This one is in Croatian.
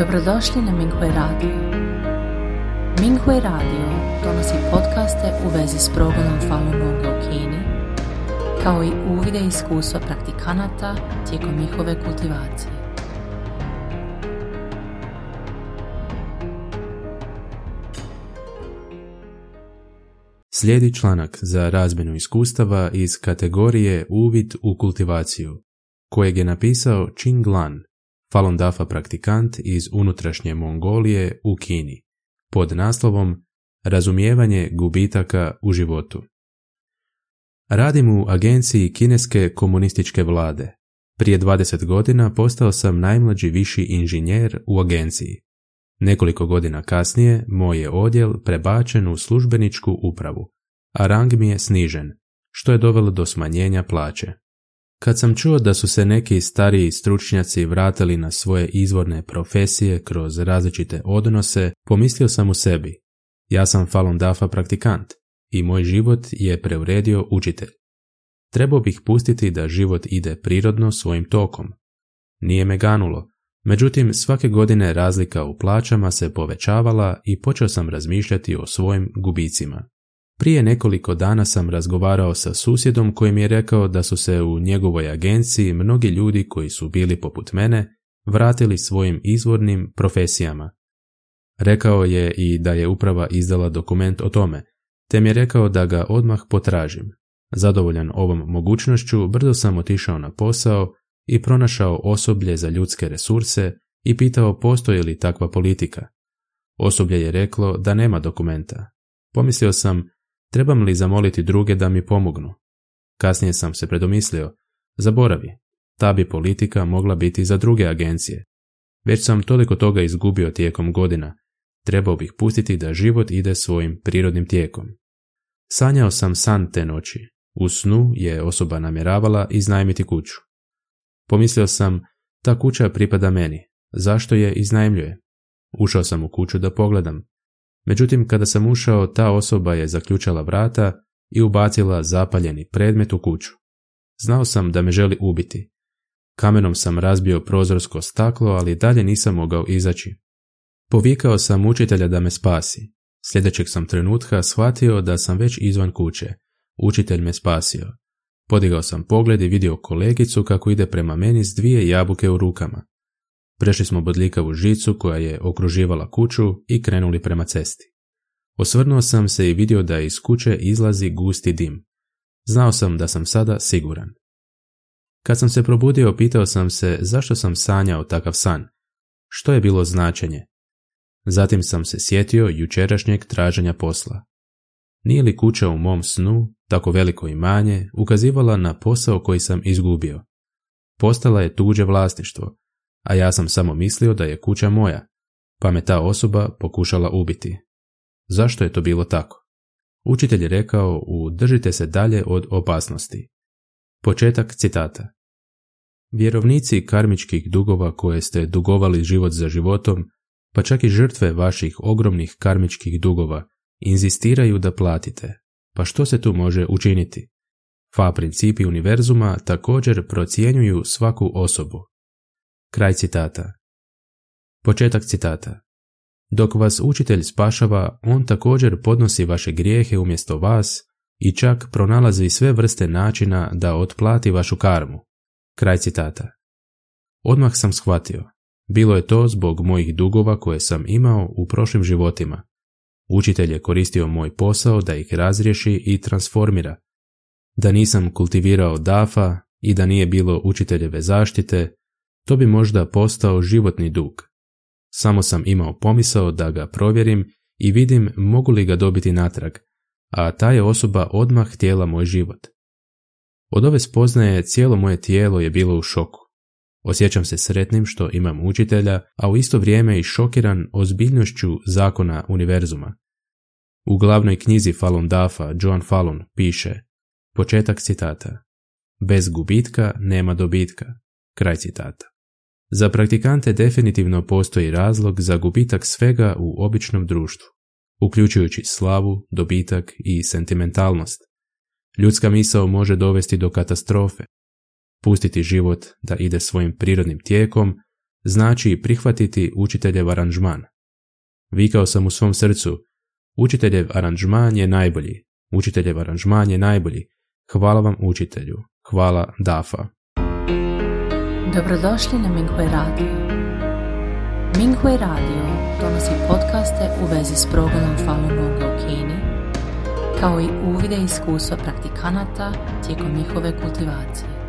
Dobrodošli na Minghui Radio. Minghui Radio donosi podcaste u vezi s progledom Falun Gonga u Kini, kao i uvide i iskustva praktikanata tijekom njihove kultivacije. Slijedi članak za razmjenu iskustava iz kategorije Uvid u kultivaciju, kojeg je napisao Ching Lan, Falun Dafa praktikant iz unutrašnje Mongolije u Kini, pod naslovom Razumijevanje gubitaka u životu. Radim u agenciji kineske komunističke vlade. Prije 20 godina postao sam najmlađi viši inženjer u agenciji. Nekoliko godina kasnije moj je odjel prebačen u službeničku upravu, a rang mi je snižen, što je dovelo do smanjenja plaće. Kad sam čuo da su se neki stariji stručnjaci vratili na svoje izvorne profesije kroz različite odnose, pomislio sam u sebi, ja sam Falun Dafa praktikant i moj život je preuredio učitelj. Trebao bih pustiti da život ide prirodno svojim tokom. Nije me ganulo, međutim svake godine razlika u plaćama se povećavala i počeo sam razmišljati o svojim gubicima. Prije nekoliko dana sam razgovarao sa susjedom koji mi je rekao da su se u njegovoj agenciji mnogi ljudi koji su bili poput mene vratili svojim izvornim profesijama. Rekao je i da je uprava izdala dokument o tome, te mi je rekao da ga odmah potražim. Zadovoljan ovom mogućnošću, brzo sam otišao na posao i pronašao osoblje za ljudske resurse i pitao postoji li takva politika. Osoblje je reklo da nema dokumenta. Pomislio sam, trebam li zamoliti druge da mi pomognu? Kasnije sam se predomislio, zaboravi, ta bi politika mogla biti za druge agencije. Već sam toliko toga izgubio tijekom godina, trebao bih pustiti da život ide svojim prirodnim tijekom. Sanjao sam san te noći. U snu je osoba namjeravala iznajmiti kuću. Pomislio sam, ta kuća pripada meni, zašto je iznajmljuje? Ušao sam u kuću da pogledam. Međutim, kada sam ušao, ta osoba je zaključala vrata i ubacila zapaljeni predmet u kuću. Znao sam da me želi ubiti. Kamenom sam razbio prozorsko staklo, ali dalje nisam mogao izaći. Povikao sam učitelja da me spasi. Sljedećeg sam trenutka shvatio da sam već izvan kuće. Učitelj me spasio. Podigao sam pogled i vidio kolegicu kako ide prema meni s 2 jabuke u rukama. Prešli smo bodljikavu žicu koja je okruživala kuću i krenuli prema cesti. Osvrnuo sam se i vidio da iz kuće izlazi gusti dim. Znao sam da sam sada siguran. Kad sam se probudio, pitao sam se zašto sam sanjao takav san. Što je bilo značenje? Zatim sam se sjetio jučerašnjeg traženja posla. Nije li kuća u mom snu, tako veliko imanje, ukazivala na posao koji sam izgubio? Postala je tuđe vlasništvo, a ja sam samo mislio da je kuća moja, pa me ta osoba pokušala ubiti. Zašto je to bilo tako? Učitelj je rekao, držite se dalje od opasnosti. Početak citata. Vjerovnici karmičkih dugova koje ste dugovali život za životom, pa čak i žrtve vaših ogromnih karmičkih dugova, inzistiraju da platite. Pa što se tu može učiniti? Fa principi univerzuma također procjenjuju svaku osobu. Kraj citata. Početak citata. Dok vas učitelj spašava, on također podnosi vaše grijehe umjesto vas i čak pronalazi sve vrste načina da otplati vašu karmu. Kraj citata. Odmah sam shvatio. Bilo je to zbog mojih dugova koje sam imao u prošlim životima. Učitelj je koristio moj posao da ih razriješi i transformira. Da nisam kultivirao Dafa i da nije bilo učiteljeve zaštite, to bi možda postao životni dug. Samo sam imao pomisao da ga provjerim i vidim mogu li ga dobiti natrag, a ta je osoba odmah htjela moj život. Od ove spoznaje cijelo moje tijelo je bilo u šoku. Osjećam se sretnim što imam učitelja, a u isto vrijeme i šokiran ozbiljnošću zakona univerzuma. U glavnoj knjizi Falun Dafa John Falun piše, početak citata, bez gubitka nema dobitka, kraj citata. Za praktikante definitivno postoji razlog za gubitak svega u običnom društvu, uključujući slavu, dobitak i sentimentalnost. Ljudska misao može dovesti do katastrofe. Pustiti život da ide svojim prirodnim tijekom znači prihvatiti učiteljev aranžman. Vikao sam u svom srcu, učiteljev aranžman je najbolji, učiteljev aranžman je najbolji. Hvala vam učitelju, hvala Dafa. Dobrodošli na Minghui Radio. Minghui Radio donosi podcaste u vezi s progledom Falun Gonga u Kini, kao i uvide i iskustva praktikanata tijekom njihove kultivacije.